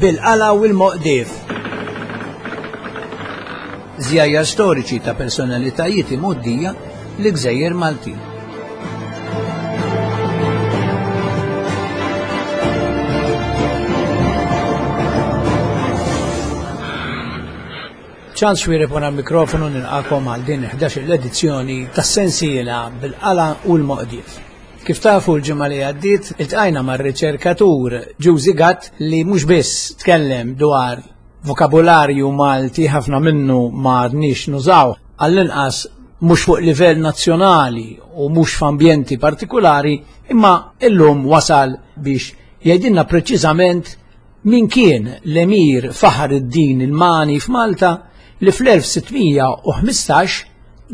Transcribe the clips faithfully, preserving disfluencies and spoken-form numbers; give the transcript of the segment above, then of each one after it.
Bil-Qala u l-Moqdief. Żjajjar storiċi ta' personalitajiet imgħoddija li gżejjer Maltin. Charles Xuereb wara l-mikrofonu nilqakom għal din ħdax-il edizzjoni tas-sensiela Bil-Qala u l-Moqdief. Kif tafu l-ġimgħa li għaddiet iltqajna mar-riċerkatur Ġużi Gatt li mhux biss tkellem dwar vokabularju Malti ħafna minnu ma għadniex nużaw, għall-inqas mhux fuq livell nazzjonali u mhux f'ambjenti partikolari, imma illum wasal biex jgħidilna preċiżament min kien l-Emir Faħar id-Din il-Mani f'Malta li fl-elf sittmija u ħmistax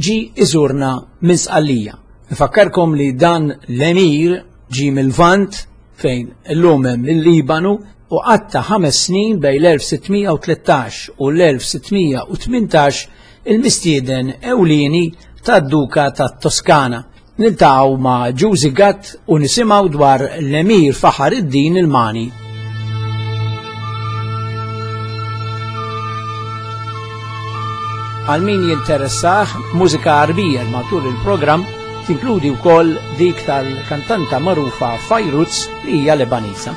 ġi iżurna minn Sqallija. Nfakkarkom li dan l-Emir ġi mill-Lvant fejn illum hemm il-Libanu u qatta ħames snin bejn l-elf sittmija u tlettax u l-elf sittmija u tmintax il-mistieden ewlieni tad-Duka tat-Toskana. Niltaqgħu ma' Ġużi Gatt u nisimgħu dwar l-Emir Faħar id-Din il-Mani. Għal min jinteressah mużika Arbija matul il-programm tinkludi wkoll dik tal-kantanta magħrufa Fairuz li hija Lebaniża.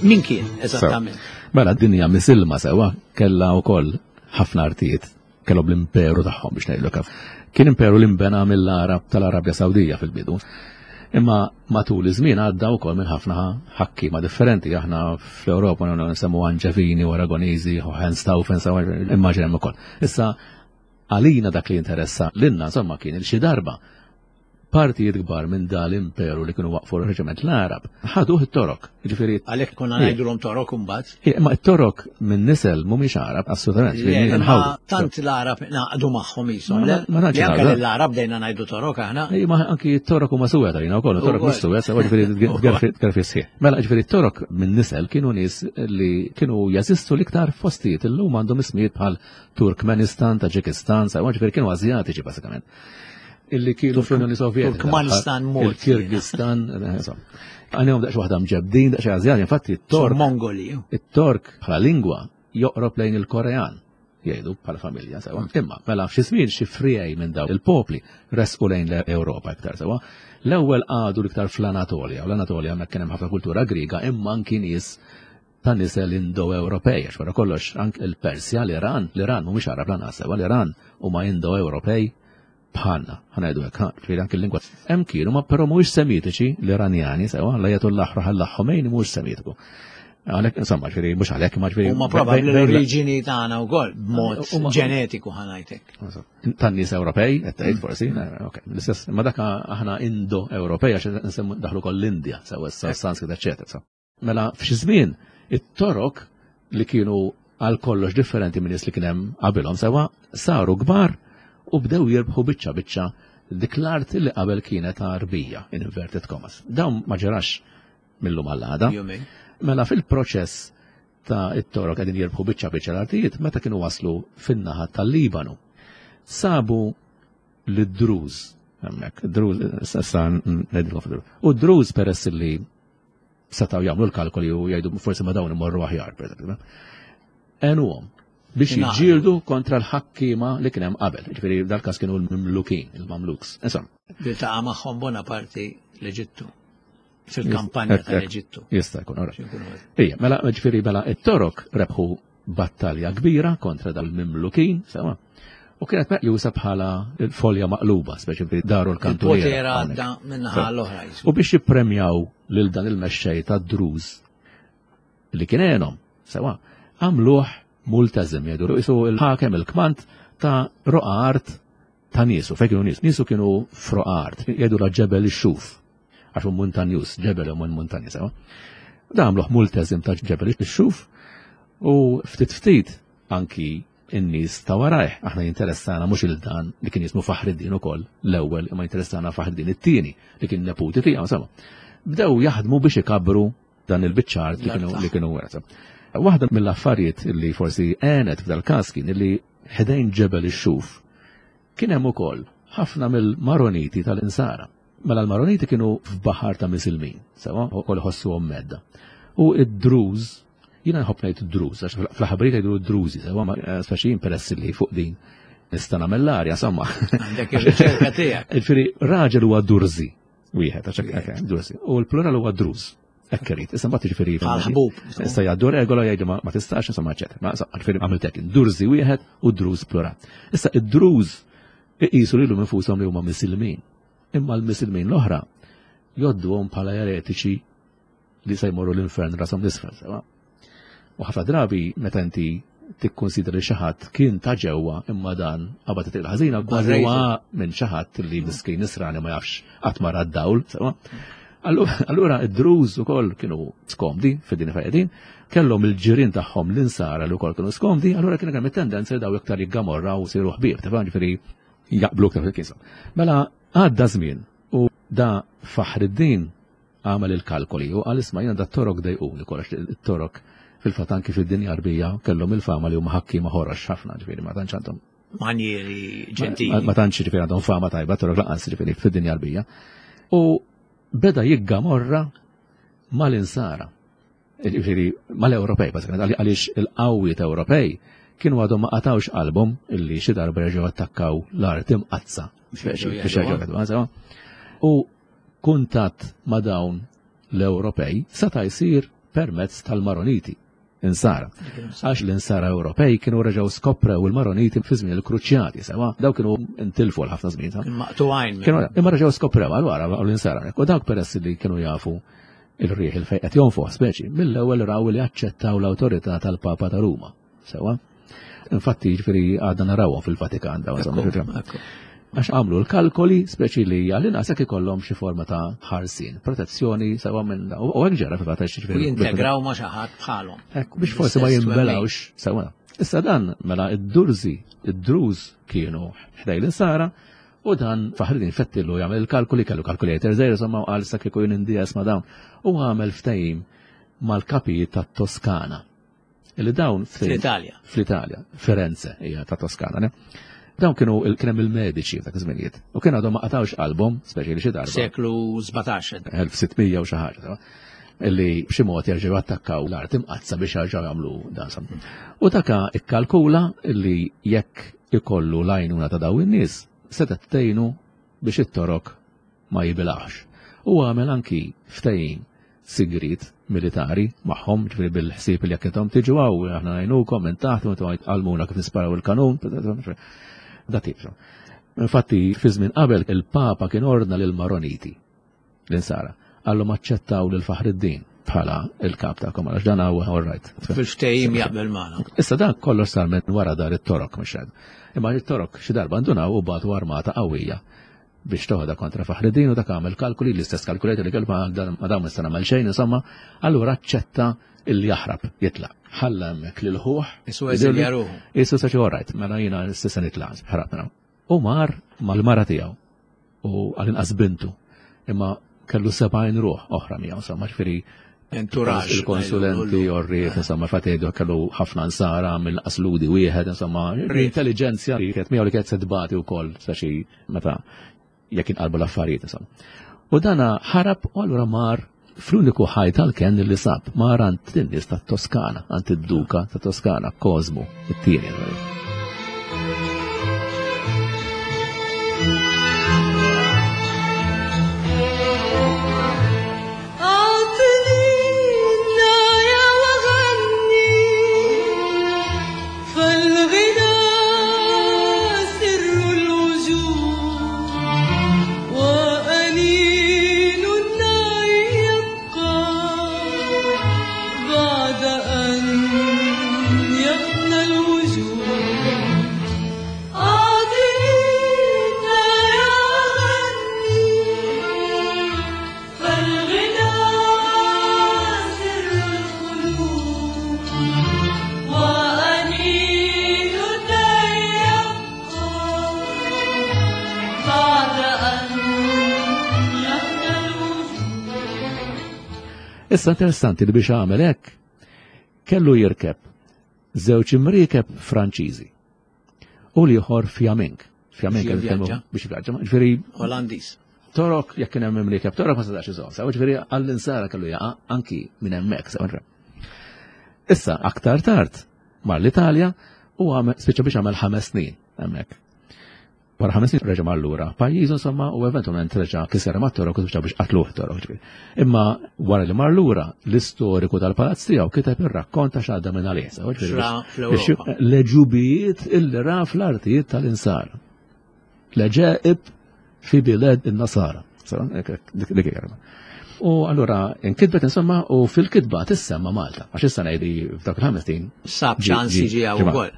Min kien, eżattament? So, mela, d-dinja misilma sewa, kella wkoll ħafna artijiet, kellhom l-imperu tagħhom biex ngħidlu kif. Kien imperu li nbena mill-Arab tal-Arabja Sawdija fil-bidu. Imma matul iż-żmien għadda wkoll minn ħafna ħakkiema differenti. Aħna fl-Ewropa nsemmu Anġevini u Aragoniżi u Hohenstaufen, sewa, immaġina hemm ukoll. Issa għalina dak li interessa lilna insomma kien il xi darba partijiet kbar minn dal-imperu li kienu waqfu r-reġiment l-Arab ħaduh it-Torok. Ġifieri Għalhekk konna ngħidulhom Torok imbagħad. Ija, ma t-Torok minn nisel mhumiex Arab, assolutament, Le, ġifieri imma nħawdu. tant l-Arab naqdu magħhom ishom, Ma le? ma tantx Li anke naqdu. lill-Arab bdejna ngħidu Torok aħna. Ej, ma anki t-Torok huma suwed għalina wkoll, t-Torok mhux suwed, sewa ġifieri tgerfi, tgerfi sħiħ. Mela ġifieri t-Torok minn nisel kienu nies li kienu jeżistu l-iktar fostijiet illum għandhom ismijiet bħal Turkmenistan, Taġikistan, sewa ġifieri kienu Azjatiċi bażikament. Illi kienu fl-Unjoni Sovjetika. Turkmanistan mort. Il-Kirgistan, insomma. Għandhom daqs waħda mġebdin, daqs Azjati, infatti it-Tork. Mongoli. It-Tork bħala lingwa joqrob lejn il-Korean, jgħidu bħala familja sewa. Imma mela f'xi żmien xi frijej minn dawn il-popli resqu lejn l-Ewropa iktar sewa. L-ewwel qagħdu l-iktar fl-Anatolja, u l-Anatolja hemmhekk kien hemm ħafna kultura Griega, imma anki nies ta' nisel Indo-Ewropej, għax wara kollox anke il-Persja, l-Iran, l-Iran mhumiex Arab lanqas sewa, l-Iran huma Indo-Ewropej bħalna, ħanajdu hekk, ha, ġifieri anke l-lingwa. Hemm kienu, ma però mhuwiex Semitiċi l-Iranjani sewa, l-Ajatollah Ruhollah Khomeini mhuwiex Semitiku. Għalhekk, insomma, ġifieri mhux għalhekk, ma ġifieri Huma probabbli bejn- bejn- l-oriġini tagħna wkoll b'mod Huma- ġenetiku ħanajtek. Tan-nies Ewropej, qed tgħid forsi, ok, l-istess, ma dak aħna Indo-Ewropej għax nsemmu daħlu koll l-Indja, sewa issa Sanskrit, eċċetera, sa. Mela f'xi żmien it-Torok li kienu għal kollox differenti minn nies li kien hemm qabilhom sewa saru kbar u bdew jirbħu biċċa biċċa dik l-art li qabel kienet Arbija, in inverted commas. Dawn ma ġarax mill-lum għall-għada. Jumejn. Mela fil-proċess ta' it-Torok qegħdin jirbħu biċċa biċċa l-artijiet meta kienu waslu fin-naħa tal-Libanu. Sabu lid-Druż hemmhekk, Druż, issa ngħidilkom fid-Druż. U d-Druż peress li setgħu jagħmlu l-kalkoli u jgħidu forsi ma dawn imorru aħjar, per eżempju. Għenuhom biex Ingħaqdu. jiġġieldu kontra l-ħakkiema li kien hemm qabel. Ġifieri dal-każ kienu l-Mamlukin, il-Mamluks. Insomma. Iltaqa' magħhom Bonaparte l-Eġittu. Fil-kampanja Jista' tal-Eġittu. Jista' jkun, ora. Xi jkunu għad. Ija, mela, ġifieri mela it-Torok rebħu battalja kbira kontra dal-Mamlukin, sewa. U kienet meqjusa bħala l-folja maqluba, speċi fi daru l-kantuniera. Il-poter għadda minnaħa l-oħra, jismu. U biex jippremjaw lil dan il-mexxej tad-Druż li kien għenhom, sewa, għamluh multazim, jgħidu, jisu il-ħakem il-kmant ta' roqa art ta' niesu, fejn kienu nies, niesu kienu f'roqa art, jgħidu la ġebel ix-xuf, għax hu muntanjus, ġebel hu muntanju, sewa. Da għamluh multazim ta' ġebel ix-xuf u ftit ftit anki in-nies ta' warajh. Aħna jinteressana mhux il dan li kien jismu Faħriddin ukoll l-ewwel, imma jinteressana Faħriddin it-tieni li kien neputi tiegħu, insomma. Bdew jaħdmu biex ikabru dan il-biċċart li kienu li kienu werta. Waħda mill-affarijiet li forsi għenet f'dal-każ kien li ħdejn ġebel ix-Xuf kien hemm ukoll ħafna mill-Maroniti tal-Insara. Mela l-Maroniti kienu f'baħar ta' Misilmin, sewa, ukoll ħossuhom medda. U id-Druż, jiena nħobb ngħid Druż, għax fl-ħabrit jgħidu Drużi, sewa, speċi jien peress li fuq din nista' nagħmel l-arja, insomma. Għandek ir-riċerka tiegħek. Ġifieri raġel huwa Durzi, wieħed, għax hekk Durzi, u l-plural huwa Druż. Hekk irid. Issa mbagħad jiġifieri Għal-ħbub. Issa jgħaddu regola jgħidu ma tistax, insomma, eċetera. Ma ġifieri għamilt hekk, Durzi wieħed u Druż plural. Issa id-Druż iqisu lilhom infushom li huma Misilmin. Imma l-Misilmin l-oħra jodduhom bħala eretiċi li se jmorru l-infern rashom l-isfel, sewa. U ħafna drabi meta inti tikkonsidra li xi ħadd kien ta' ġewwa imma dan qabad it ħażina kważi huwa minn xi ħadd li miskin nisrani ma jafx qatt ma ra d-dawl, sewa. Allura id-Druż ukoll kienu skomdi fid-din fejn kellhom il-ġirien tagħhom l-insara li wkoll kienu skomdi, allura kien hemm it-tendenza li daw iktar jiggamorra u siru ħbieb, tifhem, ġifieri jaqblu iktar fil-kisa. Mela għadda żmien u da Faħriddin għamel il-kalkoli u qal isma' jiena da torok dejquni kollox it-torok fil-fatt anki fid-dinja Arbija kellhom il-fama li huma ħakkiema ħorox ħafna, ġifieri ma tantx għandhom manjieri ġentili. Ma tantx ġifieri għandhom fama tajba torok lanqas ġifieri fid-dinja Arbija. U beda jiggamorra mal-insara, ġifieri mal-Ewropej, bażikament, għaliex il-qawwiet Ewropej kienu għadhom ma qatawx qalbhom illi xi darba jerġgħu attakkaw l-art imqaddsa biex jerġgħu jagħtu. U kuntatt ma' dawn l-Ewropej seta' jsir permezz tal-Maroniti insara. Għax l-insara Ewropej kienu reġgħu skoprew il-Maroniti fi żmien il-Kruċjati, sewa, daw kienu intilfu għal ħafna żmien. Maqtugħin. Kienu imma reġgħu skoprew għal wara l-insara. U dawk peress li kienu jafu il-riħ il-fejn qed jonfoħ speċi, mill-ewwel raw li aċċettaw l-awtorità tal-Papa ta' Ruma, sewa. Infatti ġifieri għadna narawhom fil-Vatikan dawn, insomma. Għax għamlu l-kalkoli speċi li għal-inqas jekk ikollhom xi forma ta' ħarsien, protezzjoni sewa minn u hekk ġara fil-fatt għax ġifieri U jintegraw ma' xi ħadd bħalhom. Hekk biex forsi ma jinbelawx sewa. Issa dan mela id-Durzi, id-Druż kienu ħdej l-insara u dan Faħriddin fettillu jagħmel il-kalkoli, kellu kalkulator żgħir insomma u qal sa kieku jien indies ma' dawn u għamel ftehim mal-kapijiet tat-Toskana. Illi dawn fl-Italja. Fl-Italja, Firenze hija ta' Toskana, ne? Dawn kienu kien hemm il-mediċi f'dak iż-żminijiet. U kien għadhom ma qatawx qalbhom, speċi li xi darba. Seklu sbatax. elf sittmija u xi ħaġa, illi b'xi mod jerġgħu attakkaw l-art imqaddsa biex jerġgħu jagħmlu dan sam. U daka ikkalkula illi jekk ikollu l-għajnuna ta' daw in-nies, setgħet tgħinu biex it-torok ma jibilgħux. U għamel anki ftehim sigrit militari magħhom, ġifieri bil-ħsieb li jekk intom tiġu hawn aħna ngħinukom minn taħt u intom għalmuna kif nisparaw il-kanun, da tip. Infatti fi żmien qabel il-Papa kien ordna lil Maroniti l-insara, qallhom aċċettaw lil Faħriddin bħala il-kap tagħkom għax dan huwa all right. Fil-ftehim jaqbel magħna. Issa dan kollox sar minn wara dar it-torok mhux hekk. Imma it-torok xi darba ndunaw u bagħtu armata qawwija biex toħodha kontra Faħriddin u dak għamel kalkuli, l-istess kalkulator li kellu ma dawn nista' nagħmel xejn, insomma, allura aċċetta illi jaħrab, jitlaq. Ħalla hemmhekk lil ħuh. Isu eżilja ruħu. Isu sa xi all right, mela jiena s'issa nitlaq, ħrab minn hawn. U mar mal-mara tiegħu u għall-inqas bintu, imma kellu sebgħin ruħ oħra miegħu, insomma, ġifieri Entourage, il-konsulenti, orriet, insomma, fatejdu kellu ħafna nsara minn qasludi wieħed, insomma, l-intelligenza li kienet miegħu li kienet se tbati wkoll, speċi meta jekk inqalbu l-affarijiet, insomma. U dana ħarab u allura mar fl-uniku ħaj tal-ken li sab, mar għand in-nies tat-Toskana, għand id-Duka ta' Toskana, Cosmo, it-tieni. بعد أن يفنى الوجود. Issa interessanti li biex għamel hekk kellu jirkeb żewġ imriekeb Franċiżi u l-ieħor Fjamink. Fjamink biex vjaġġa, ġifieri Olandiż. Torok jekk kien hemm imriekeb Torok ma setax iżomm, sew ġifieri għall-insara kellu jaqa' anki minn hemmhekk, sew. Issa aktar tard mar l-Italja u għamel spiċċa biex għamel ħames snin hemmhekk. Wara ħames snin reġa' mar lura pajjiżu insomma u eventwalment reġa' kiser mat-Torok u spiċċa biex qatluh Torok ġifieri. Imma wara li mar lura l-istoriku tal-palazz tiegħu kiteb ir-rakkont ta' x'għadda minn għalih. L-ġubijiet illi ra fl-artijiet tal-insara. L-ġeib fi biled in-nasara. U allura inkitbet insomma u fil-kitba tissemma Malta, għax issa ngħidi f'dak il-ħames snin. Sab ċans jiġi hawn ukoll.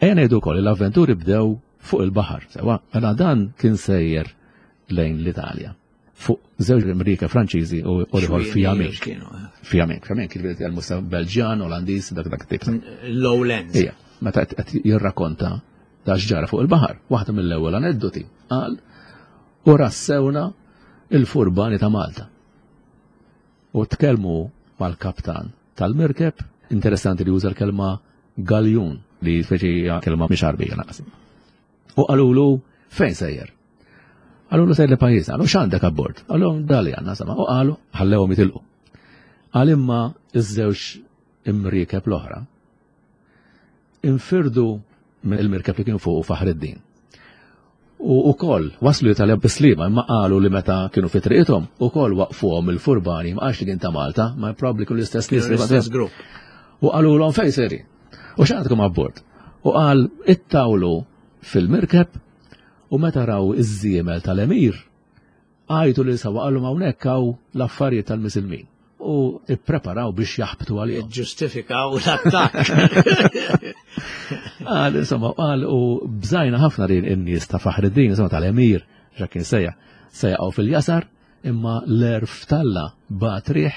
Ejja ngħidu wkoll l-avventuri bdew fuq il-baħar, sewa, mela dan kien sejjer lejn l-Italja. Fuq żewġ Amerika Franċiżi u ieħor Fjamink. Fjamink, Fjamink kien bidel Belġjan, Olandiż, dak dak tip. Lowlands. Ija, meta qed jirrakkonta da x'ġara fuq il-baħar, waħda mill-ewwel aneddoti qal u rassewna il-furbani ta' Malta. U tkellmu mal-kaptan tal-mirkeb, interessanti li uża l-kelma galjun, li speċi hija kelma mhix Għarbija naqas. U qalulu fejn sejjer? Qalulu sejjer li pajjiżna, qalu x'għandek abbord? Qalu dali għandna sama, u qalu ħallewhom jitilqu. Qal imma iż-żewġ imriekeb l-oħra infirdu mill-mirkeb li kien fuq Faħreddin. U wkoll waslu l-Italja bislima, imma qalu li meta kienu fi triqithom ukoll waqfuhom il-furbani, ma qalx li kien ta' Malta, ma probabbli kienu l-istess nies li l-istess grupp. U qalulhom fejn sejrin? U x'għandkom abbord? U qal ittawlu fil-mirkeb u meta raw iż-żiemel tal-emir għajtu li sawa qalhom hawnhekk hawn l-affarijiet tal-misilmin. U ippreparaw biex jaħbtu għalihom. Ġustifikaw l-attakk. Qal, insomma, qal u bżajna ħafna li n-nies ta' Faħreddin, insomma, tal-emir, ġa kien sejja, sejjaqgħu fil-jasar, imma l-erf talla bat riħ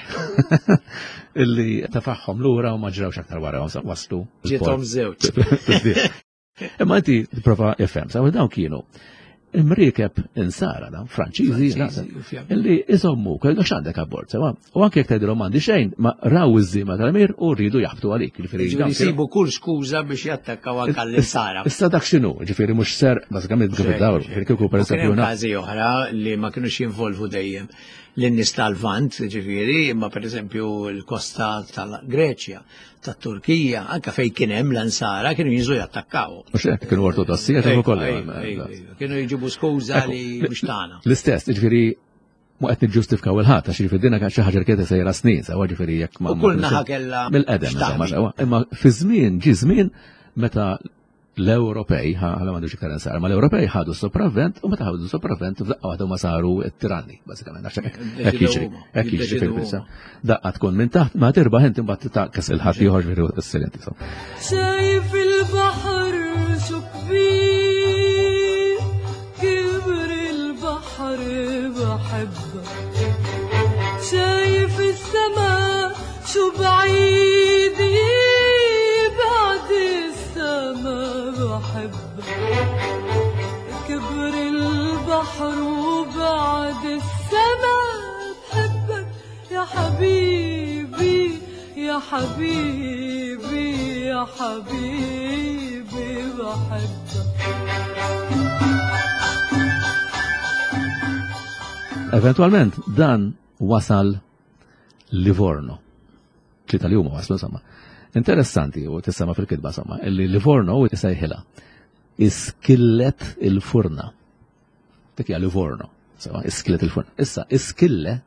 illi tafaħħom lura u ma ġrawx aktar wara, waslu. Ġiethom żewġ. Imma inti tipprova ifhem, sa dawn kienu imriekeb insara, da, Franċiżi, illi iżommu, kellek x'għandek abbord, sewa. U anke jekk tgħidilhom m'għandi xejn, ma raw iż-żiema tal-emir u rridu jaħbtu għalik. Ġifieri jsibu kull skuża biex jattakkaw anke l-insara. Issa dak x'inhu, ġifieri mhux ser, bażikament kif id-dawru, ġifieri kieku pereżempju każi oħra li ma kinux jinvolvu dejjem lin-nies tal-Lvant, ġifieri, imma pereżempju l-kosta tal-Greċja, tat-Turkija, anke fejn kien hemm l-ansara kienu jinżlu jattakkaw. Mhux hekk kienu ortodossi qed ukoll. Kienu jġibu skuża li mhux tagħna. L-istess, ġifieri ma qed niġġustifikaw il-ħadd għax ġifieri dinha xi ħaġa li kienet sejra snin, sewa ġifieri jekk ma. U kull naħa kellha mill-qedem, insomma, imma fi żmien ġi żmien meta l-Ewropej, ħala m'għandux iktar insara, ma l-Ewropej ħadu sopravvent u meta ħadu sopravvent f'daqqa waħda huma saru t-tiranni, bażikament, għax hekk jiġri, hekk jiġri fil-biża. Daqqa tkun minn taħt, ma tirbaħ inti mbagħad taqkes il-ħadd ieħor ġifieri s-silenti. شايف البحر شو كبير، كبر البحر بحبك، شايف السما شو بعيد، بعد السما بحبك، كبر البحر وبعد السما بحبك يا حبيبي يا حبيبي يا حبيبي بحبك. Eventualment dan wasal Livorno. Tlieta li huma waslu insomma. Interessanti u tissema fil-kitba insomma, illi Livorno u tisejħilha iskillet il-furna. Dik hija Livorno, sewa, iskillet il-furna. Issa iskille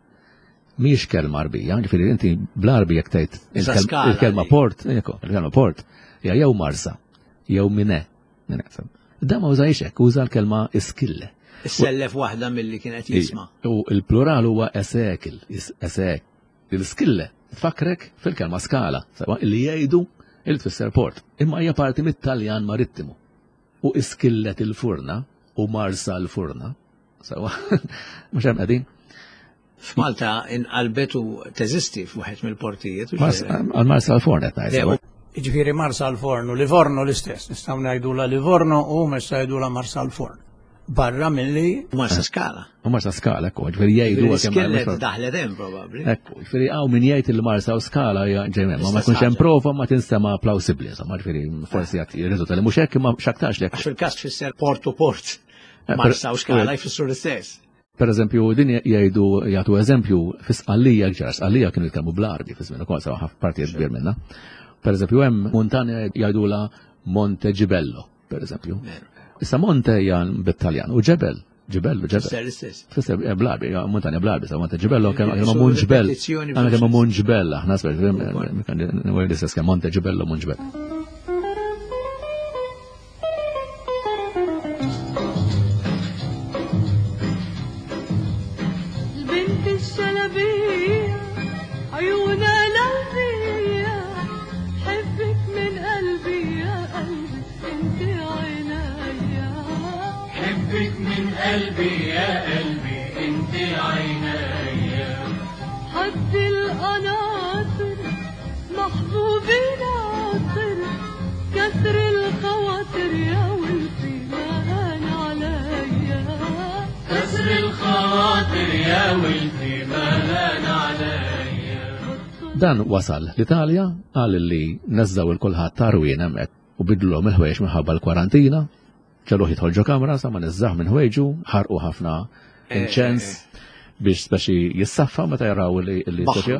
mhijiex kelma Għarbija, ġifieri inti bl-Għarbi jekk tgħid il-kelma port, il-kelma port hija jew Marsa, jew Mine. Da ma użajx hekk, uża l-kelma iskille. Issellef waħda milli kienet jisma'. U l-plural huwa esekil, esek. Il-skille tfakrek fil-kelma skala, sewa li jgħidu il tfisser port. Imma hija parti mit-Taljan marittimu. U iskillet il-furna u Marsa l-furna, sewa, mhux hemm qegħdin. F'Malta inqalbet u teżisti f'wieħed mill-portijiet. Għal Marsa l-forn qed ngħid. Jiġifieri Marsa l-forn u Livorno l-istess, nistgħu ngħidula Livorno u mhux ngħidula Marsa l-forn. Barra milli Marsa Skala. U Marsa Skala, ekku, ġifieri jgħidu kemm daħlet hemm probabbli. Ekku, ġifieri hawn min jgħid il Marsa u Skala ġej ma ma jkunx hemm prova ma tinstema' plawsibbli, insomma, ġifieri forsi qed jirriżulta li mhux hekk imma x'aktarx lek. Għax fil-każ tfisser port u port. Marsa u Skala jfissru l-istess. Per eżempju, din jgħidu jagħtu eżempju fi Sqallija ġara, Sqallija kienu jitkellmu bl-Arbi fi żmien ukoll sewa ħafna partijiet kbir minnha. Per eżempju, hemm muntanja jgħidula Monte Gibello, per eżempju. Issa Monte hija bit-Taljan u ġebel, ġibello, ġebel. Fisser bl-Arbi, muntanja bl-Arbi, sa Monte Gibello kemm kemm Munġbel. Aħna kemm Munġbel, aħna l-istess kemm Monte Gibello Munġbel. قلبي يا قلبي انت عينيا حد القناطر محبوبي ناطر كسر الخواطر يا ولفي ما هان عليا كسر الخواطر يا ولفي ما هان عليا. Dan wasal l-Italja qal li neżżaw il-kulħadd tarwien hemmhekk u bidlhom il-ħwejjeġ minħabba l-kwarantina. Ġaluh jidħol ġo kamra, sa ma niżżaħ minn ħwejġu, ħarqu ħafna inċens biex speċi jissaffa meta jaraw li baħru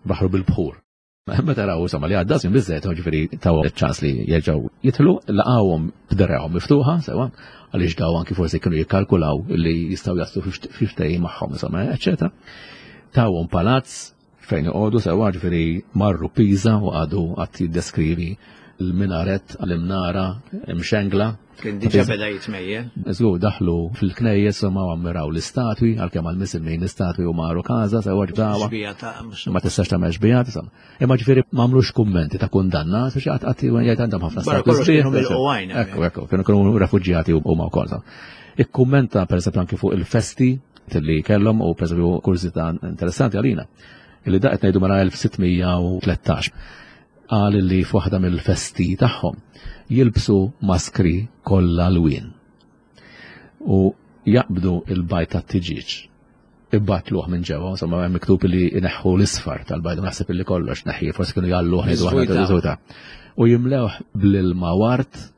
baħru bil-bħur. Meta jaraw insomma li għadda żmien biżżejjed, ġifieri taw ċans li jerġgħu jidħlu, laqgħuhom b'dergħhom miftuħa sewa, għaliex daw anki forsi kienu jikkalkulaw li jistgħu jaslu fi ftehim magħhom insomma, eċċetera. Tawhom palazz fejn iqogħdu sewa, ġifieri marru Pisa u qagħdu qatt jiddeskrivi l-minaret għal-imnara imxengla. Kien diġa beda jitmejjel. Żgur daħlu fil-knejjes u ma ammiraw l-istatwi, għalkemm għall-misilmin l-istatwi u marru każa sewa ġdawa. Ma tistax tagħmel xbijat, insomma. Imma ġifieri m'għamlux kummenti ta' kundanna, biex qatt qatt jgħid għandhom ħafna statwi. Ekku, ekku, kienu kienu refuġjati huma wkoll. Ikkummenta pereżempju anki fuq il-festi li kellhom u pereżempju kurżità interessanti għalina. Illi da qed ngħidu mara elf sittmija u tlettax. Qal li f'waħda mill-festi tagħhom jilbsu maskri kollha lwien u jaqbdu il-bajt tat-tiġieġ ibbatluh minn ġewwa, insomma hemm miktub li jneħħu l-isfar tal-bajt, naħseb illi kollox neħħi, forsi kienu jgħalluh ngħidu aħna u jimlewh bl-ilma wart.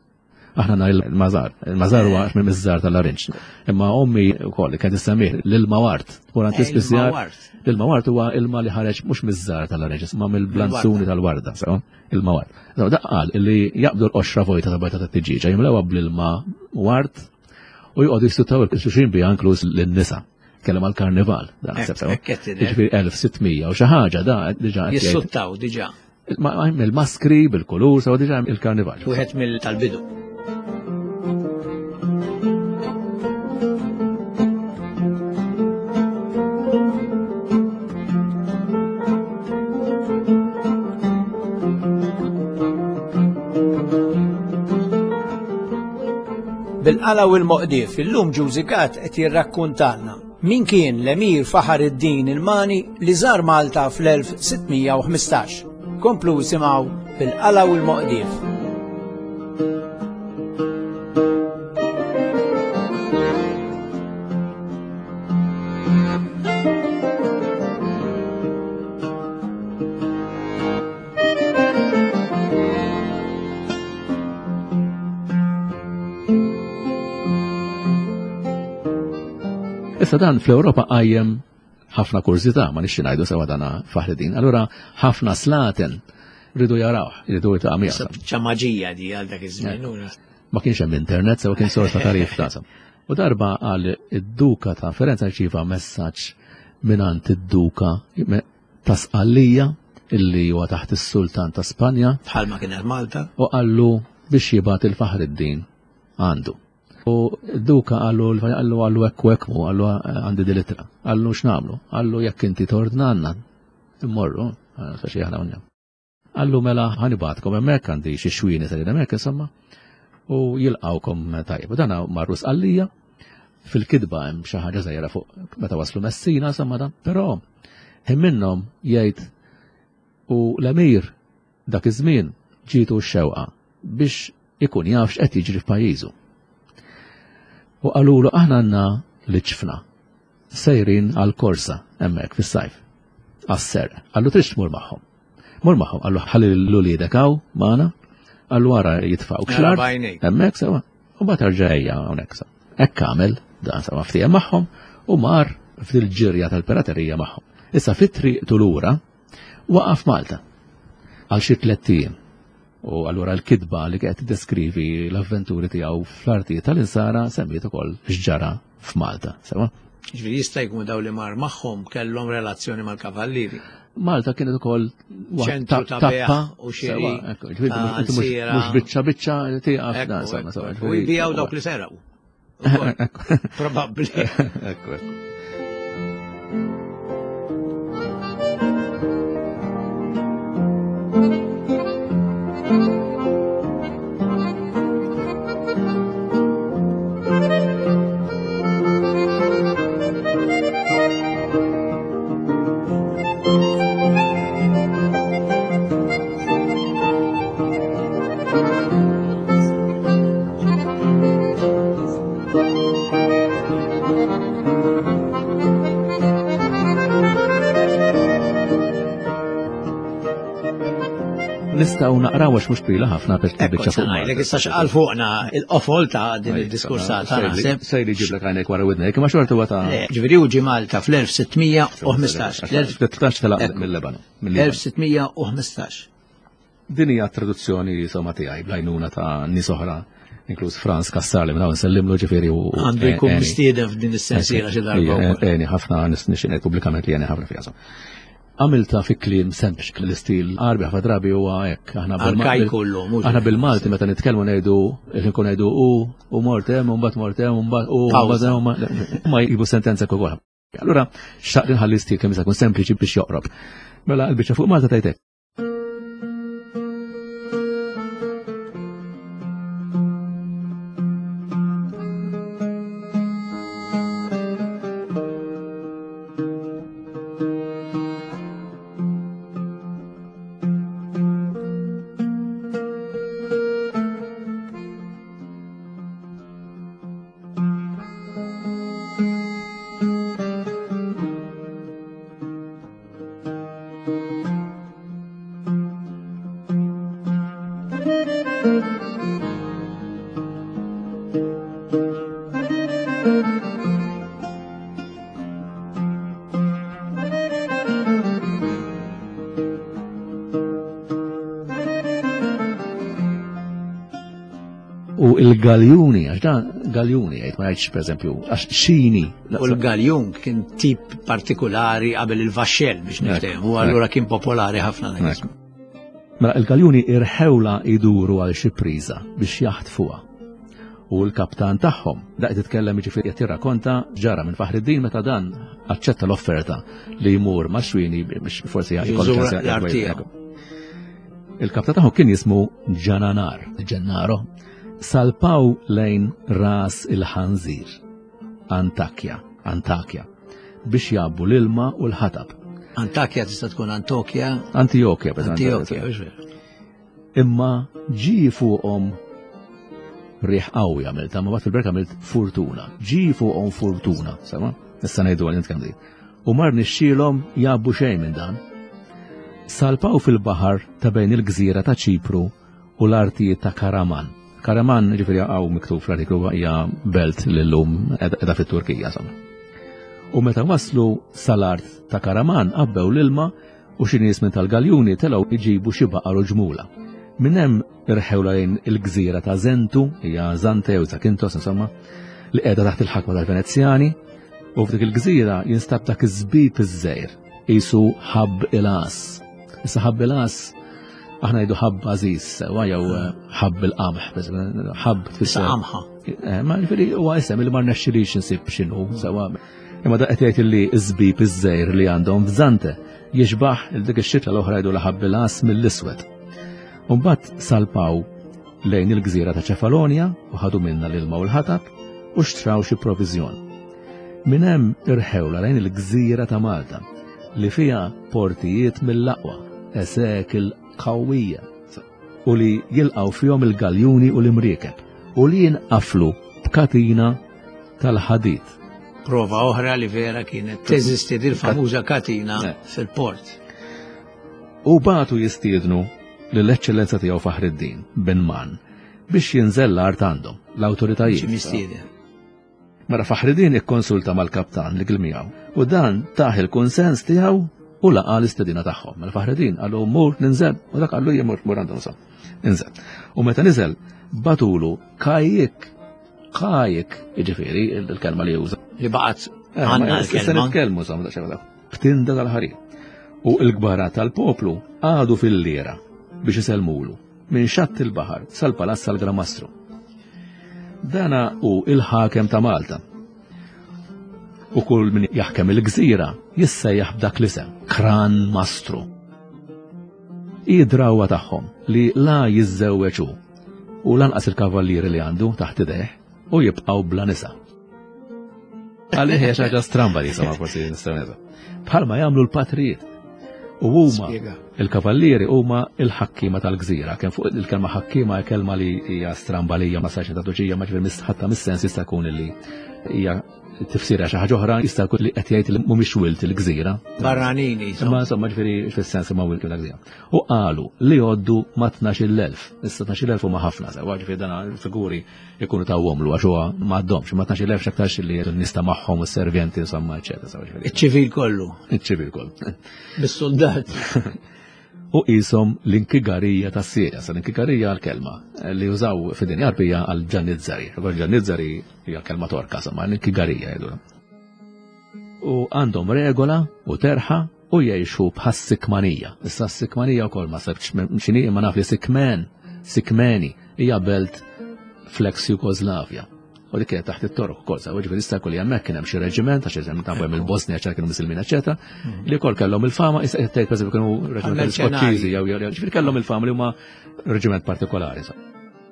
Aħna nhar il-mażar, il-mażar huwa minn miż-żar tal-larinġ. Imma ommi wkoll kienet issemmih l-ilma wart. U għand ispissjar l-ilma wart huwa ilma li ħareġ mhux miż-żar tal-larinġ, imma mill-blanzuni tal-warda, sew, ilma wart. Dak qal li jaqbdu l-qoxra vojta ta' bajta tat-tiġieġa, jimlewha bl-ilma wart u joqogħdu jistutaw il-xuxin biha inkluż lin-nisa. Kellem għall-karnival, dan naħseb sew. Jiġifieri elf sittmija u xi ħaġa da diġà jissuttaw diġà. Il-maskri bil-kulur sew diġà il-karnival. Wieħed mill tal-bidu. Bil-qala u l-moqdif, illum Ġużi Gatt qed jirrakkuntalna min kien l-Emir Faħar id-Din il-Mani li żar Malta fl-elf sittmija u ħmistax. Komplu simgħu bil-qala u l-moqdif. Issa dan fl-Ewropa qajjem ħafna kurżità, ma nixxi ngħidu sewa dana Faħreddin. Allura ħafna slaten ridu jarawh, ridu jiltaqgħu miegħu. Ċa maġija di għal dak iż-żmien. Ma kienx hemm internet, sewa kien sors ta' tarif ta' U darba qal id-duka ta' Firenze rċieva messaġġ mingħand id-duka ta' Sqallija illi huwa taħt is-Sultan ta' Spanja. Bħalma kienet Malta. U qallu biex jibgħat il-Faħreddin għandu. U d-duka qallu qallu qallu hekk u hekk mu, qallu għandi di litra. Qallu x'nagħmlu? Qallu jekk inti tordnanna immorru, speċi aħna unja. Qallu mela ħanibatkom hemmhekk għandi xi xwieni serin hemmhekk insomma u jilqawkom tajjeb. U dan marru Sqallija, fil-kidba hemm xi ħaġa żgħira fuq meta waslu Messina insomma dan, però ħin minnhom jgħid u l-Emir dak iż-żmien ġietu x-xewqa biex ikun jaf x'qed jiġri f'pajjiżu. U qalulu aħna għandna l-ġfna sejrin għal korsa hemmhekk fis-sajf. Għas-serq. Qallu tridx tmur magħhom. Mur magħhom, qallu ħalli l-uliedek hawn magħna, qallu wara jitfgħu xlar. Hemmhekk sewa. U mbagħad erġa' ejja hawnhekk sa. Hekk għamel dan sewa ftiehem magħhom u mar fil-ġirja tal-piraterija magħhom. Issa fit-triq lura waqaf Malta għal xi tliet ijiem. U allura l-kitba li qed tiddeskrivi l-avventuri tiegħu fl-artijiet tal-insara semmiet ukoll x'ġara f'Malta, sewa? Ġifieri jista' jkun daw li mar magħhom kellhom relazzjoni mal-kavallieri. Malta kienet ukoll ċentru ta' bejgħ u xiri. Mhux biċċa biċċa tieqaf dan sewa sewa. U jbiegħu dawk li serqu. Probabbli. Ekku, ekku. Nistgħu naqraw għax mhux twila ħafna biex biċċa fuq. Ngħidlek issa x'qal fuqna il-qofol ta' din id-diskursata naħseb. Sejli ġiblek għajnek wara widnek, imma xorta huwa ta' Ġifieri hu ġie Malta fl-elf sittmija u ħmistax. Tlettax telaq mill-Lebanon. elf sittmija u ħmistax. Din hija traduzzjoni insomma tiegħi bl-għajnuna ta' nies oħra, inkluż Franz Cassar li minn hawn nsellimlu ġifieri u għandu jkun mistieden f'din is-sensiela xi darba. Għeni ħafna nixtieq pubblikament li għeni ħafna fiha. Għamilta fi kliem sempliċi, l-istil Għarbi ħafna drabi huwa hekk. Aħna bil-Malti meta nitkellmu ngħidu nkun ngħidu u u mort hemm u mbagħad mort hemm u mbagħad u mbagħad ma jjibu sentenza ukoll. Allura xtaqt inħalli stil kemm jista' jkun sempliċi biex joqrob. Mela l-biċċa fuq Malta tgħid hekk. U il-galjuni, għax dan galjuni, għajt ma jgħidx per eżempju, għax xini. U l-galjun kien tip partikolari qabel il-vaxxell biex niftehmu, u allura kien popolari ħafna dak. Mela il-galjuni irħewla iduru għal xi priża biex jaħtfuha. U l-kaptan tagħhom, daqt titkellem jiġifieri qed jirrakkonta ġara minn Faħriddin meta dan aċċetta l-offerta li jmur ma' xwini biex forsi jkollu ċans. Il-kaptan tagħhom kien jismu Ġananar, Ġennaro. Salpaw lejn ras il-ħanżir, Antakja, Antakja, biex jabbu l-ilma u l-ħatab. Antakja tista' tkun Antokja? Antijokja, per Antijokja. Imma ġie fuqhom riħ qawwi għamilta, ma bat fil-berka għamilt fortuna. Ġie fuqhom fortuna, sema? Issa ngħidu għal nitkellem din. U mar nixxielhom jabbu xejn minn dan. Salpaw fil-baħar ta' bejn il-gżira ta' Ċipru u l-artijiet ta' Karaman. Karaman, ġifieri hawn miktub fl-artiklu hija belt li llum qiegħda fit-Turkija, insomma. U meta waslu sal-art ta' Karaman qabbew l-ilma u xi nies minn tal-galjuni telgħu jġibu xi baqar u ġmula. Minn hemm irħewla lejn il-gżira ta' Zentu, hija Zante jew Zakintos insomma, li qiegħda taħt il-ħakma tal-Venezjani, u f'dik il-gżira jinstab dak iż-żbib iż-żejr, qisu ħabb il-għas. Issa ħabb il-għas aħna jgħidu ħabb għażiż, sewa jew ħabb il-qamħ, ħabb tfisser. Qamħa. Ma ġifieri huwa isem li ma rnexxilix insib x'inhu, sewa. Imma da qed jgħid li ż-żbib iż-żejr li għandhom f'Zante jixbaħ il dik ix-xitla l-oħra jgħidu ħabb il-għas mill-iswed. U mbagħad salpaw lejn il-gżira ta' Ċefalonja u ħadu minna l-ilma u l-ħatab u xtraw xi proviżjon. Minn hemm irħewla lejn il-gżira ta' Malta li fiha portijiet mill-aqwa, esekil qawwija u li jilqgħu fihom il-galjuni u l-imriekeb u li jinqaflu b'katina tal-ħadid. Prova oħra li vera kienet teżisti dil-famuża katina Eh. fil-port. U bagħtu jistiednu lill-Eċċellenza tiegħu Faħriddin bin Man biex jinżel l-art għandhom, l-awtoritajiet. Ġie mistieden. Mara Faħriddin ikkonsulta mal-kaptan li kien miegħu u dan tah il-kunsens tiegħu u laqa l-istedina tagħhom. Mela Faħriddin qallu mur ninżel u dak qallu jien mur mur għandhom sa. Inżel. U meta niżel bagħtulu kajjik kajjik, jiġifieri il-kelma li juża. Li baqgħet Eh, għandna ma- Issa l-kelma. nitkellmu sa daqsxejn B'tinda tal-ħarir. U l-kbara tal-poplu għadu fil-lira biex isellmulu minn xatt il-baħar sal-palazz tal-Gramastru. Dana hu il-ħakem ta' Malta. U kull min jaħkem il-gżira jissejjaħ b'dak l-isem, Kran Mastru. Hi drawwa tagħhom li la jiżżewweġu u lanqas il-kavallieri li għandu taħt idejh u jibqgħu bla nisa. Għalih hija xi ħaġa stramba li sama forsi nistgħu ngħidu. Bħalma jagħmlu l-patrijiet. U huma Spjega. il-kavallieri huma il-ħakkiema tal-gżira. Kemm fuq il-kelma ħakkiema hija kelma li hija stramba li hija ma sax traduċija ma ġifier ħatta mis-sens jista' jkun li hija tifsira xi ħaġa oħra, jista' jkun li qed jgħid li mhumiex wilt il-gżira. Barranini, Imma insomma ġifieri fis-sens ma wilt il-gżira. U qalu li jgħoddu ma tnax-il elf. Issa tnax-il elf huma ħafna sewa, ġifieri dan il-figuri jkunu tawhomlu għax huwa m'għadhomx, ma tnax-il elf x'aktarx li n-nista magħhom u s-servjenti insomma eċetera. sewa, ġifieri. Iċ-ċivil kollu, Iċ-ċivil kollu. bis-soldat. U qishom l-inkigarija tas Sirja. Sa l-inkigarija għal-kelma li użaw fid-dinja Għarbija għal-ġannizzari. Għal-ġannizzari hija kelma torka, sama l-inkigarija jgħidu. U għandhom regola u terħa u jgħixu bħas-Sikmanija. Issa s-Sikmanija wkoll ma sabx x'inhi, imma naf li Sikmen, Sikmeni hija belt fl-ex Jugoslavja. U dik kienet taħt it-Torok ukoll, sa ġifieri jista' jkun li hemmhekk kien hemm xi reġiment, għax eżempju tafu hemm il-Bosnia ċar kienu Musulmin, eċetera, li wkoll kellhom il-fama, issa qed tgħid pereżempju kienu reġiment Merċenarji. Skoċċiżi jew jew ġifieri kellhom il-fama li huma reġiment partikolari. sa.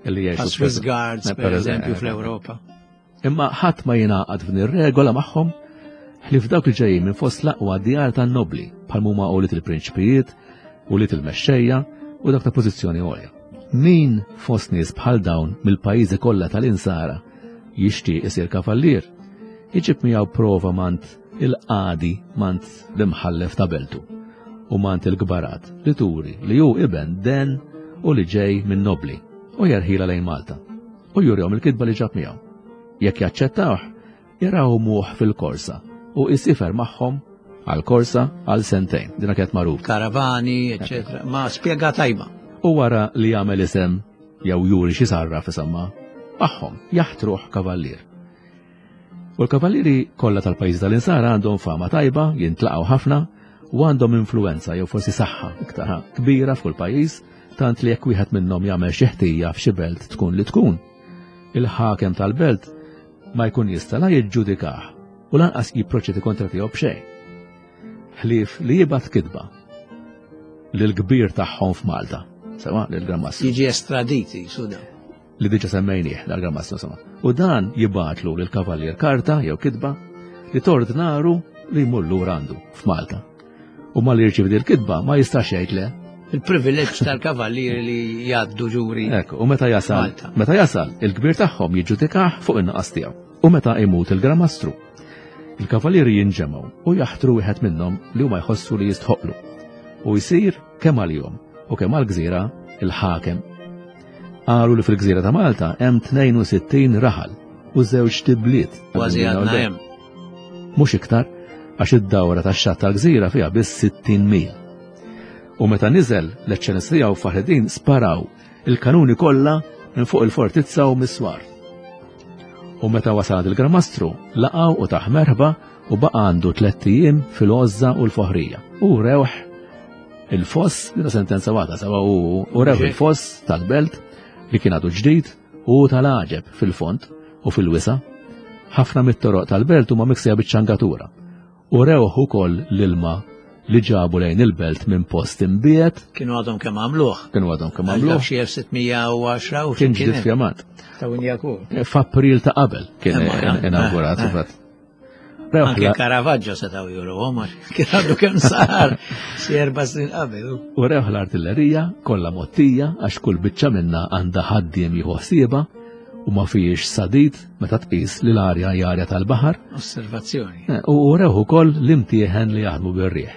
Illi jgħixu Swiss Guards, Eh, per eżempju, eh, fl-Ewropa. Imma ħadd ma jingħaqad f'din ir-regola magħhom ħlief dawk li ġejjin minn fost l-aqwa djar tan-nobli bħal huma ulied il-prinċpijiet, ulied il-mexxejja u dak ta' pożizzjoni għolja. Min fost nies bħal dawn mill-pajjiżi kollha tal-insara jixtieq isir kavallier, iġib miegħu prova mant il-qadi mant l-imħallef ta' beltu u mant il-kbarat li turi li hu iben den u li ġej minn nobli u jerħila lejn Malta u jurihom il-kitba li ġab miegħu. Jekk jaċċettawh, jrawmuh fil-korsa u jsifer magħhom għal-korsa għal sentejn. Dina kienet magħruf. Karavani, eccetera. Ma spjega tajba. U wara li jagħmel isem jew juri xi sarra fisamma, magħhom jaħtruh kavallier. U l-kavallieri kollha tal-pajjiż tal-insara għandhom fama tajba, jintlaqgħu ħafna u għandhom influenza jew forsi saħħa iktar kbira f'kull pajjiż, tant li jekk wieħed minnhom jagħmel xi ħtija f'xi belt tkun li tkun. Il-ħakem tal-belt ma jkun jista' la jiġġudikah u lanqas jipproċedi kontra tiegħu b'xejn. Ħlief li jibgħat kitba lill-kbir tagħhom f'Malta, sewa lil-Gran Mastru Jiġi estraditi, suda. li diġa semmejnieh dal-Gran Mastru insomma. U dan jibgħatlu lil kavallier karta jew kitba li tordnaru li jmur lura għandu f'Malta. U malli jirċievi din il-kitba ma jistax jgħid le. Il-privileġġ tal-kavallieri li jgħaddu ġuri. Ekku, u meta jasal, Malta. meta jasal, il-kbir tagħhom jiġġudikah fuq in-naqas tiegħu. U meta imut il-Gran Mastru, il-kavallieri jinġemgħu u jaħtru wieħed minnhom li huma jħossu li jistħoqlu. U jsir kemm għalihom u kemm għall-gżira il-ħakem. Qalu li fil-gżira ta' Malta hemm tnejn u sittin raħal u żewġ tibliet. Kważi għadna hemm. Mhux iktar għax id-dawra tax-xatt tal-gżira fiha biss sittin mil. U meta niżel l-Eċċellenza tiegħu Faħreddin sparaw il-kanuni kollha minn fuq il-fortizza u mis-swar. U meta wasal il-Gran Mastru laqgħu u tah merħba u baqa' għandu tlett ijiem fil-għożża u l-foħrija. U rewh il-foss, dina sentenza waħda, sewa u u rewh il-foss tal-belt li kien għadu ġdid u tal-għaġeb fil-fond u fil-wisa. Ħafna mit-toroq tal-belt huma miksija biċ-ċangatura. U rewh ukoll l-ilma li ġabu lejn il-belt minn post imbiet, Kienu għadhom kemm għamluh. kienu għadhom kemm Għamluh għamluh, xi elf sitt mija u għaxra u kien xi ġdid kien. fjamant. Ta' Winjakur. F'April ta' qabel kien Imma, eh, inaugurat. eh. Fatt. Rewh Anke la- Caravaggio setgħu juruhom għax kien għadu kemm sar xi erba' snin qabel. U rewh l-artillerija kollha mottija għax kull biċċa minna għandha ħaddiem jieħu ħsiebha u ma fiex sadid meta tqis li l-arja hija arja tal-baħar. Osservazzjoni. Eh, u rew ukoll l-imtieħen li jaħdmu bir-riħ.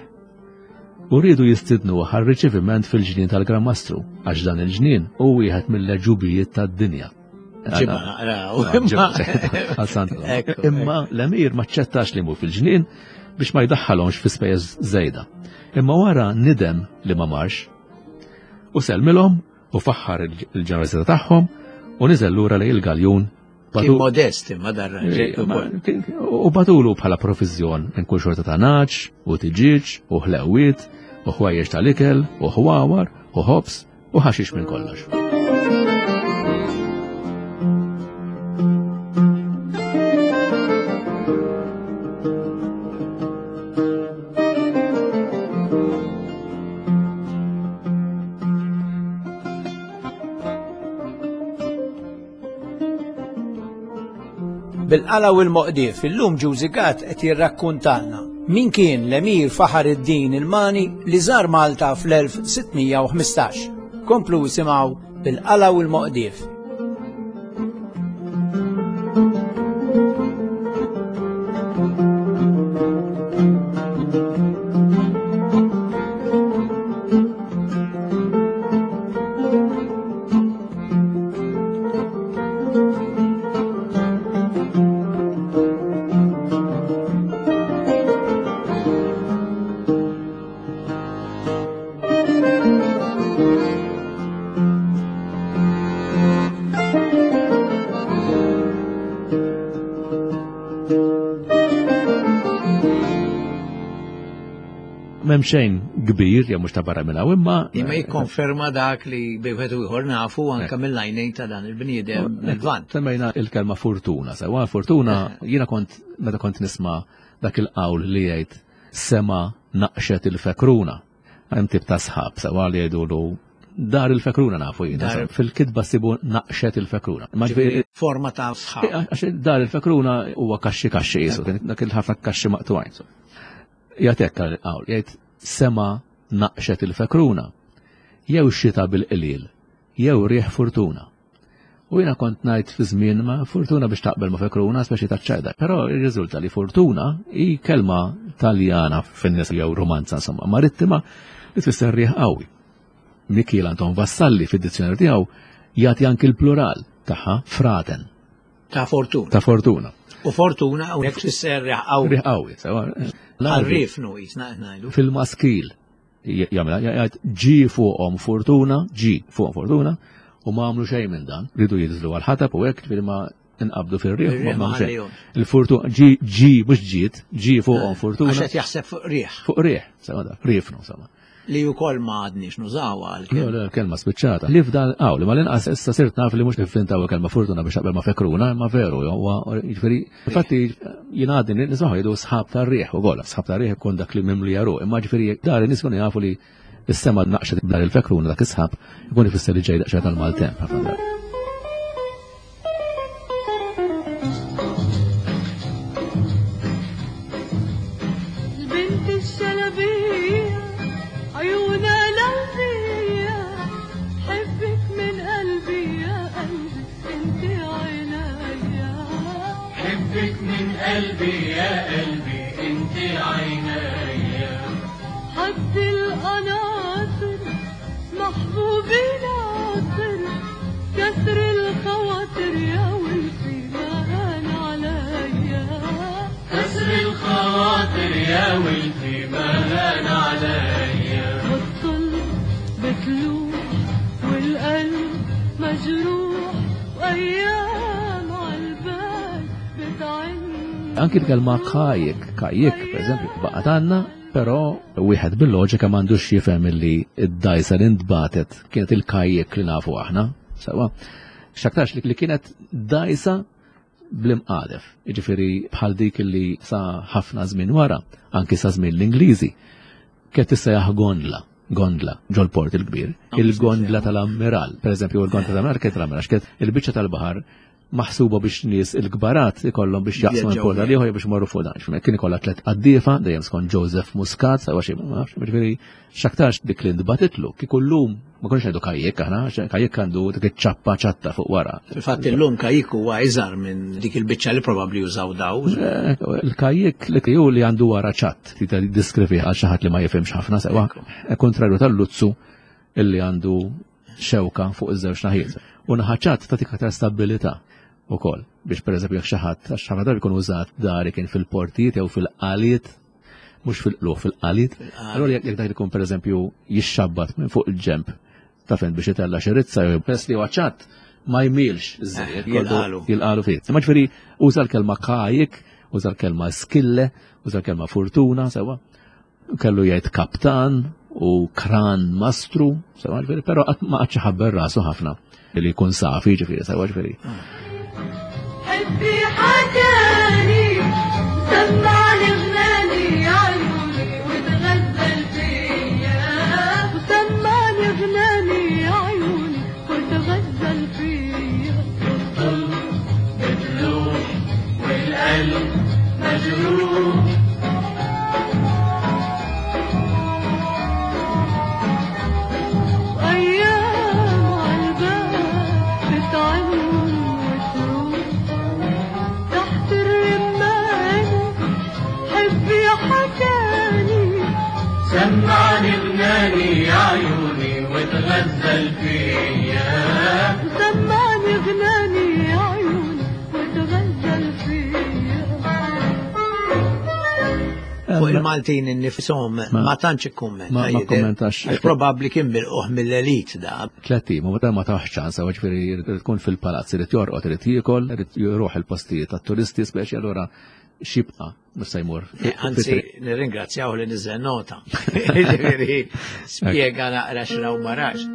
U rridu jistidnu għal riċeviment fil-ġnien tal-Gran Mastru, għax dan il-ġnien hu wieħed mill-ġubijiet tad-dinja. Imma l-emir ma ċċettax li mur fil-ġnien biex ma jdaħħalhomx fi spejjeż żejda. Imma wara nidem li ma marx u selmilhom u faħħar il-ġenerożità tagħhom u niżel lura lejn il-galjun. Kien modest imma dar U batulu bħala provviżjon minn kull xorta ta' naċ u tiġiġ u ħlewiet u ħwajjeġ tal-ikel u ħwawar u ħobs u ħaxix minn kollox. Bil-qala u l-moqdief, illum Ġużi Gatt qed jirrakkuntalna min kien l-Emir Faħar id-Din il-Mani li żar Malta fl-elf sittmija u ħmistax. Komplu simgħu bil-qala u l-moqdief. M'hemm xejn kbir, jew mhux ta' barra minn hawn, imma Imma jikkonferma dak li bejwieħed u ieħor nafu anke mill-għajnejn ta' dan il-bniedem mill-Lvant. Semmejna il-kelma fortuna, sewa fortuna jiena kont meta kont nisma' dak il-qawl li jgħid sema naqxet il-fekruna. Hemm tip ta' sħab sewa li jgħidulu dar il-fekruna nafu jiena. Dar- Fil-kitba sibu naqxet il-fekruna. Ma ġifieri Forma ta' sħab. Għax dar il-fekruna huwa kaxxi kaxxi qisu, dak il-ħafna kaxxi maqtugħin. Jagħtek il-qawl, jgħid sema naqxet il-fekruna, jew xita bil-qlil, jew riħ fortuna. U jiena kont ngħid fi żmien ma fortuna biex taqbel ma fekruna, speċi ta' ċajda. Però irriżulta li fortuna hi kelma Taljana fin-nies jew romanza insomma marittima li tfisser riħ qawwi. Mikiel Anton Vassalli fid-dizzjonarju tiegħu jagħti anki l-plural tagħha fraten. Ta' fortuna. Ta' fortuna. U fortuna u jekk tfisser riħ qawwi. Riħ qawwi, sewa. Għarrifnu jisna ngħidu. Fil-maskil jagħmel jgħid ġi fuqhom fortuna, ġi fuqhom fortuna, u ma għamlu xejn minn dan. Ridu jidżlu għal-ħatab u hekk ġifieri ma inqabdu fir-riħ, ma Ir-riħ għamlu xejn. ħallihom. Il-fortuna ġi, ġi mhux ġiet, ġi fuqhom fortuna. Għax qed jaħseb fuq riħ. Fuq riħ, sewa dak, rifnu, sewa. Li wkoll ma għadniex nużawha għal Le, le, kelma spiċċata. Li f'dan hawn, li mal-inqas issa sirt naf li mhux nivvintaw il-kelma fortuna biex taqbel ma fekruna, imma veru, huwa, jiġifieri, infatti jien għadni nismaħu jgħidu sħab tar-riħ ukoll, sħab tar-riħ ikun dak li mimli jaru, imma ġifieri dar in-nies kienu jafu li s-sema naqxet dar il-fekruna dak is-sħab ikun ifisser li ġej daqsxejn tal-maltemp ħafna drabi. البنت الشلبية عيونها لوزية حبك من قلبي يا قلبي انت عينيا حبك من قلبي يا قلبي انت عينيا حد القناطر محبوبي ناطر كسر الخواطر يا ولفي ما هان عليا كسر الخواطر يا ولفي ما هان عليا والطل بتلوح والقلب مجروح وأيام عالبال بتعن Anki l-kelma kajek, kajek, per eżempju, baqgħet għandna, però wieħed bil-loġika m'għandux jifhem illi id-dajsa li ntbatet kienet il-kajek li nafu aħna, sewa. X'aktarx li kienet dajsa bl-imqadef, jiġifieri bħal dik li sa ħafna żmien wara, anki sa żmien l-Ingliżi, kienet tissejjaħ gondla, gondla ġol-port il-kbir, il-gondla tal-ammiral, per eżempju, il-gondla tal-ammiral kienet tal-ammiral, kienet il-biċċa tal-baħar maħsuba biex nies il-kbarat ikollhom biex jaqsmu minn pola liħor biex morru fuq dan. Kien ikollha tliet qaddiefa dejjem skont Joseph Muscat, sewa xi ma nafx, ġifieri x'aktarx dik li ntbatitlu kieku llum ma konniex ngħidu kajjek aħna, kajjek għandu dik iċ-ċappa ċatta fuq wara. Fil-fatt illum kajjek huwa iżgħar minn dik il-biċċa li probabbli jużaw daw. Il-kajjek li ju li għandu wara ċatt, ti diskrivi għal xi ħadd li ma jifhimx ħafna sewa, kontrarju tal-luzzu illi għandu xewka fuq iż-żewġ naħiet. U naħa ċatt tagħtik aktar stabilità ukoll biex pereżempju jekk xi ħadd għax ħafna drabi jkun użat dari kien fil-portijiet jew fil-qaliet, mhux fil-qluħ, fil-qaliet. Allura jekk dak ikun pereżempju jixxabbat minn fuq il-ġemp ta' fejn biex itella' xi rizza jew peress li huwa ċatt ma jmilx iżżejjed, Jilqalu. jilqalu fih. Imma ġifieri uża l-kelma kajik, uża l-kelma skille, uża l-kelma fortuna, sewa. Kellu jgħid kaptan u kran mastru, sewa ġifieri, però qatt ma qatx iħabber rasu ħafna li jkun safi ġifieri, sewa ġifieri. حبي حكاني سمعني غناني عيوني وتغزل فيا وسمعني غناني عيوني وتغزل فيا بتلوح والقلب مجروح وأيام عالباب بتعن وتروح تحت الرمانة حبي حكاني سمعني غناني يا عيوني وتغزل فيا سمعني غناني يا عيوني وتغزل فيا Fuq il-Maltin innifishom ma tantx ikkummenta. Ma- ma jidher. kkommentax. Għax probabbli kien milquh mill-elit da. Tliet ijiem, u meta ma taħx ċans, ġifieri jrid tkun fil-palazz, irid jorqod, irid jiekol, irid jruħ il-postijiet tat-turisti speċi, allura xibqa' mhux se jmur. Anzi, nirringrazzjaw li niżel nota. Ġifieri spjega naqra x'raw ma rax.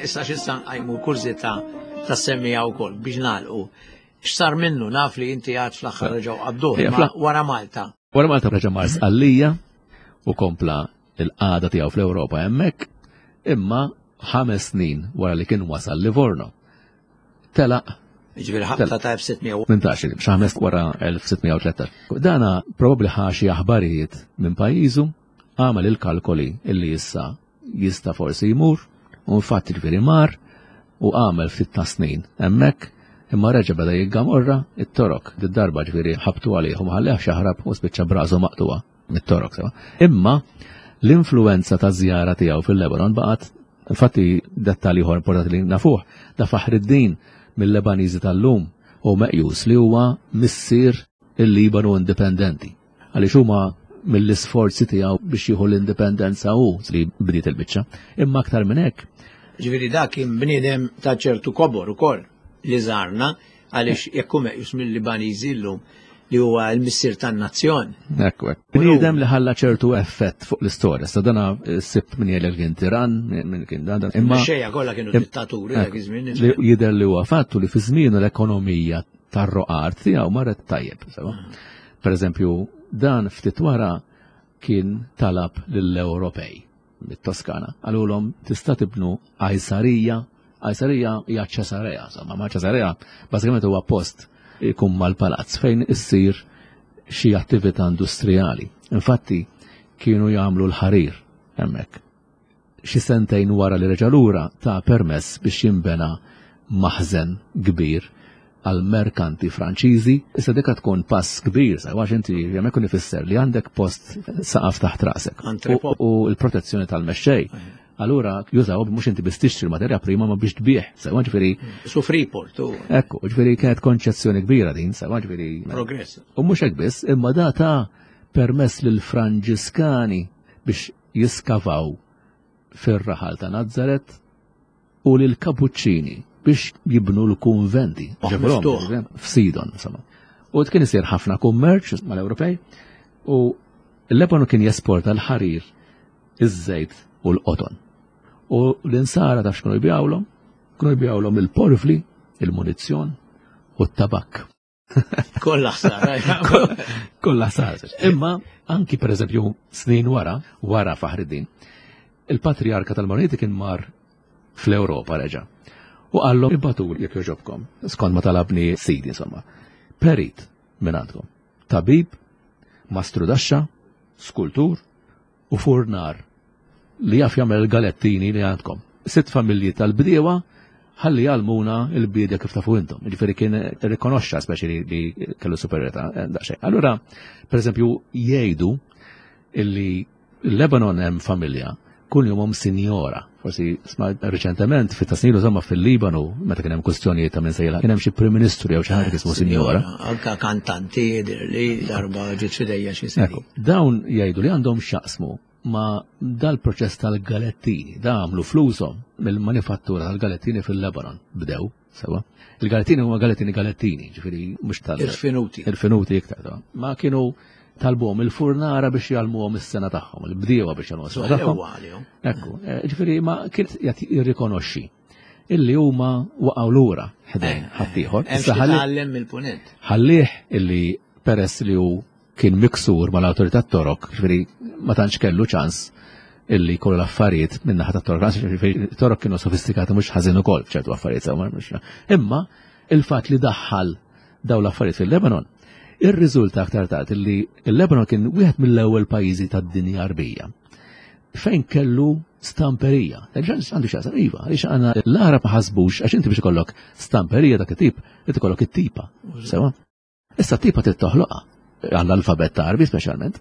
Issa x'issa nqajmu kurżità tas-semmija wkoll biex nagħlqu. X'sar minnu naf li inti għad fl-aħħar reġgħu qabduh, Ejja, imma fl- wara Malta. Wara Malta reġa' mar Sqallija u kompla il-qagħda tiegħu fl-Ewropa hemmhekk, imma ħames snin wara li kien wasal Livorno. Telaq Ġifieri ħabta ta' elf sitt mija u tmintax, xi ħames wara elf sitt mija u tlettax. Dana probabbli ħa xi aħbarijiet minn pajjiżu, għamel il-kalkoli illi issa jista' forsi jmur, u infatti ġifieri mar u għamel ftit ta' snin hemmhekk, imma reġa' beda jiggamorra it-torok. Did-darba ġifieri ħabtu għalih u ma ħallehx jaħrab u spiċċa brażu maqtuha mit-torok sewa. Imma l-influenza ta' żjara tiegħu fil-Lebanon baqgħet, infatti dettalji ieħor importanti li nafuh, da Faħriddin mill-Lebaniżi tal-lum u meqjus li huwa missier il-Libanu indipendenti. Għaliex huma mill-isforzi tiegħu biex jieħu l-indipendenza hu li bdiet il-biċċa. Imma aktar minn hekk. Ġifieri dak kien bniedem ta' ċertu kobor ukoll li żarna għaliex jekk hu meqjus mill-Libaniżi llum li huwa l-missier tan-nazzjon. Ekku, ekku. Bniedem li ħalla ċertu effett fuq l-istorja. Sa dana sibt min jgħidlek kien tiran, min kien dan, dan. Imma Xejja kollha kienu Im- dittaturi dak iż-żmien. li jidher li huwa fattu li fi żmienu l-ekonomija tar-roqar tiegħu marret tajjeb, sewa. Per eżempju, dan ftit wara kien talab lill-Ewropej mit-Toskana. Qalulhom tista' tibnu Qajsarija. Qajsarija hija Ċesarea, insomma, ma Ċesarea bażikament huwa post ikun mal-palazz fejn issir xi attività industrijali. Infatti kienu jagħmlu l-ħarir hemmhekk. Xi sentejn wara li reġa' lura ta' permess biex jinbena maħżen kbir għal merkanti Franċiżi. Issa dika tkun pass kbir, sa għax inti hemmhekk ikun ifisser li għandek post saqaf taħt rasek. Entrepot. U, u l-protezzjoni tal-mexxej. Allura jużaw mhux inti biss tixtri l-materja prima ma biex tbieħ, sewa ġifieri. Su Freeport u. Ekku, ġifieri kienet konċezzjoni kbira din, sewa ġifieri. Progress. U mhux hekk biss, imma data permess lil Franġiskani biex jiskavaw fir-raħal ta' Nazzaret u lil Kapuċċini biex jibnu l-kunventi. F'Sidon, insomma. U kien isir ħafna kummerċ mal-Ewropej u l-Lebanon kien jesporta l-ħarir, iż-żejt u l-qoton. U l-insara taf x'kienu jbijawlhom? Kienu jbijawlhom il-porfli, il-munizzjon u t-tabak. Kollha ħsara. Kollha ħsara. Imma anki pereżempju snin wara, wara Faħriddin, il-patriarka tal-Maroniti kien mar fl-Ewropa reġa'. U qallhom ibatu jekk jogħġobkom, skont ma talabni sidi insomma. Perit minn għandkom. Tabib, mastrudaxxa, skultur u furnar li jaf jagħmel galettini li għandkom. Sitt familji tal-bdiewa ħalli jgħallmuna l-biedja kif tafu intom. Ġifieri kien rikonoxxa speċi li kellu superjetà daqsxejn. Allura, pereżempju, jgħidu illi l-Lebanon hemm familja kuljumhom sinjora. Forsi sma reċentement fit-tasnilu insomma fil-Libanu meta kien hemm kwistjonijiet ta' minn sejla kien hemm xi Prim Ministru jew xi ħaġa ismu sinjora. Anka kantanti jidher li darba ġiet f'idejja xi snin. Dawn jgħidu li għandhom x'jaqsmu ma dal-proċess tal-galettini, da għamlu flushom mill-manifattura tal-galettini fil-Lebanon, bdew, sewa. Il-galettini huma galettini galettini, ġifieri mhux tal- Irfinuti. Irfinuti iktar. Ma kienu talbuhom il-furnara biex jgħallmuhom is-sena tagħhom, il-bdiewa biex jgħallmuhom is-sena tagħhom. Ekku, ġifieri ma kien qed jirrikonoxxi illi huma waqgħu lura ħdejn ħaddieħor. Issa tgħallem mill-punent. Ħallih illi peress li hu kien miksur mal-awtorità Torok, ġifieri ma tantx kellu ċans illi jkollu l-affarijiet minn naħa tat-Torok, ġifieri Torok kienu sofistikati mhux ħażin ukoll f'ċertu affarijiet sew. Imma il-fatt li daħħal dawn l-affarijiet fil-Lebanon ir-riżulta aktar tard illi il-Lebanon kien wieħed mill-ewwel pajjiżi tad-dinja Arbija fejn kellu stamperija. Għandu x'jaqsam iva, għaliex għandna l-Arab ma ħasbux għax inti biex ikollok stamperija dak it-tip, inti ikollok it-tipa. Sewa? Issa t-tipa trid toħloqha għall-alfabet ta' Arbi speċjalment,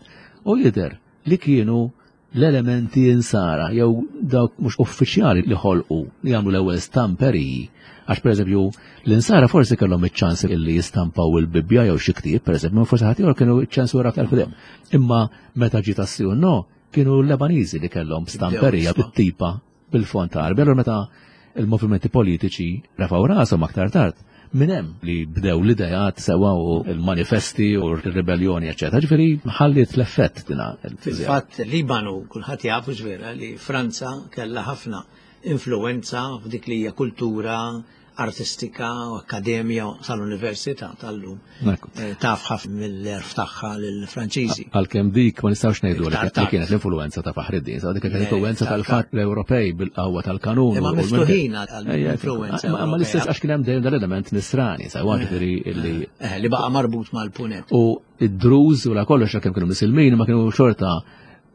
u jidher li kienu l-elementi insara jew dawk mhux uffiċjali li ħolqu li jagħmlu l-ewwel stamperiji. Għax pereżempju l-insara forsi kellhom iċ-ċans illi jistampaw il-Bibbja jew xi ktieb, pereżempju, forsi ħadd ieħor kienu ċ-ċensura aktar quddiem. Imma meta ġiet tas-Siju no, kienu l-Lebaniżi li kellhom stamperija bit-tipa bil-font Arbi. Allura meta il-movimenti politiċi rafgħu rashom aktar tard, minn hemm li bdew l-idejat sewa u l-manifesti u r-ribelljoni, eċċetera. Ġifieri ħalliet l-effett dina. Fil-fatt Libanu kulħadd jafu ġvera li Franza kellha ħafna influenza f'dik li hija kultura artistika u akkademja sal-università tal-lum. Taf ħafna mill-erf tagħha lill-Franċiżi. Għalkemm dik ma nistgħux ngħidu li kienet l-influenza ta' Faħriddin, sa dik kienet l-influenza tal-fatt l-Ewropej bil-qawwa tal-kanun. Imma miftuħin għall-influenza. Ma l-istess għax kien hemm dejjem dal-element nisrani, sa ġifieri li li baqa' marbut mal-punet. U id-Druż u la kollox għalkemm kienu Misilmin ma kienu xorta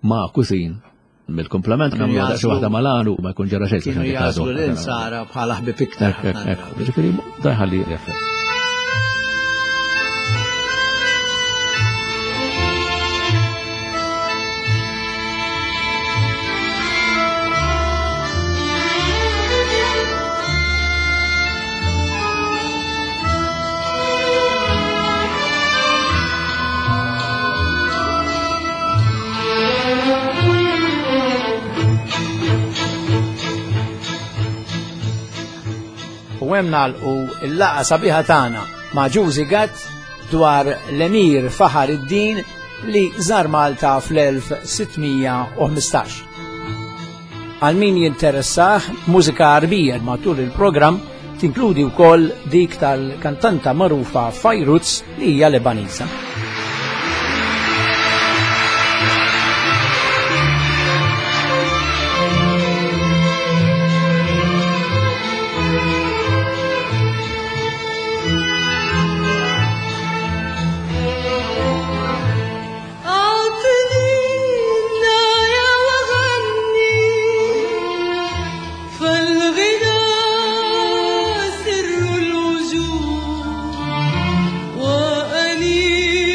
ma' kusin mill-komplement għamlu daqs waħda malanu ma jkun ġara xejn. Kienu jagħżlu l-insara bħala ħbieb iktar. Ġifieri da jħalli effett. U hemm nagħlqu l-laqgħa sabiħa tagħna ma' Ġużi Gatt dwar l-Emir Faħriddin li żar Malta fl-elf sittmija u ħmistax. Għal min jinteressah mużika Arbija matul il-programm tinkludi wkoll dik tal-kantanta magħrufa Fairuz li hija Lebaniża. وأني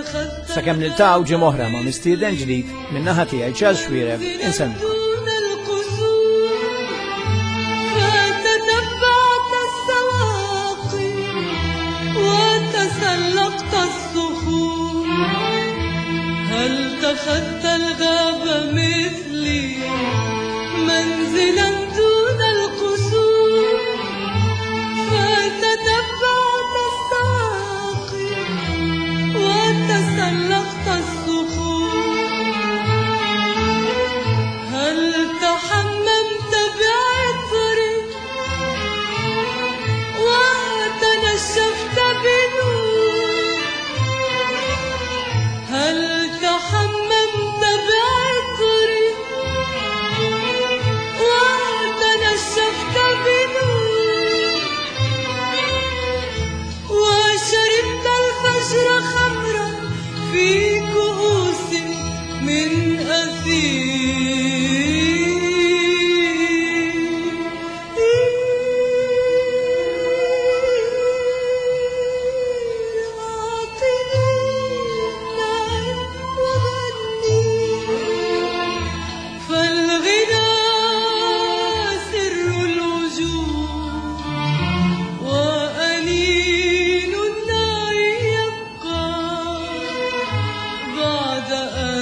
اتخذت Sakemm niltaqgħu ġimgħa oħra ma' mistieden ġdid min-naħa tiegħi Charles Xuereb insellmilkom. دون القصور فتتبعت السواقي وتسلقت الصخور هل اتخذت الغاب مثلي منزلا دون القصور فتتبعت السواقي وتسلقت الصخور هل تحممت بعطري وتنشفت بنور هل تحممت بعطري وتنشفت بنور وشربت الفجر خمرا في كؤوس من أثير أعطني النعم وغني فالغنى سر الوجود وأنين النعي يبقى بعد أن